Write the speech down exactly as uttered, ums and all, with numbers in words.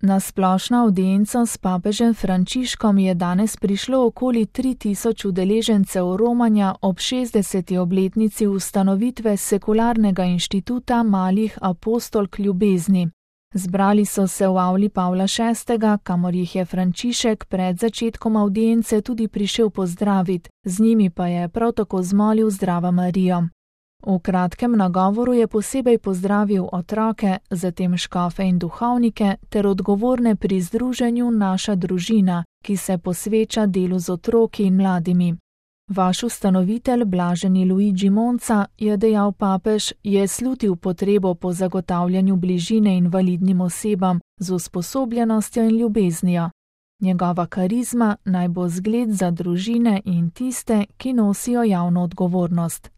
Na splošno avdienco s papežem Frančiškom je danes prišlo okoli tri tisoč udeležencev romanja ob šestdeseti obletnici ustanovitve sekularnega inštituta malih apostolk ljubezni. Zbrali so se v avli Pavla šestega, kamor jih je Frančišek pred začetkom avdience tudi prišel pozdraviti, z njimi pa je prav tako zmolil Zdrava Marijo. V kratkem nagovoru je posebej pozdravil otroke, zatem škofe in duhovnike ter odgovorne pri združenju Naša družina, ki se posveča delu z otroki in mladimi. Vaš ustanovitelj, blaženi Luigi Monca, je dejal papež, je slutil potrebo po zagotavljanju bližine invalidnim osebam z usposobljenostjo in ljubeznijo. Njegova karizma naj bo zgled za družine in tiste, ki nosijo javno odgovornost.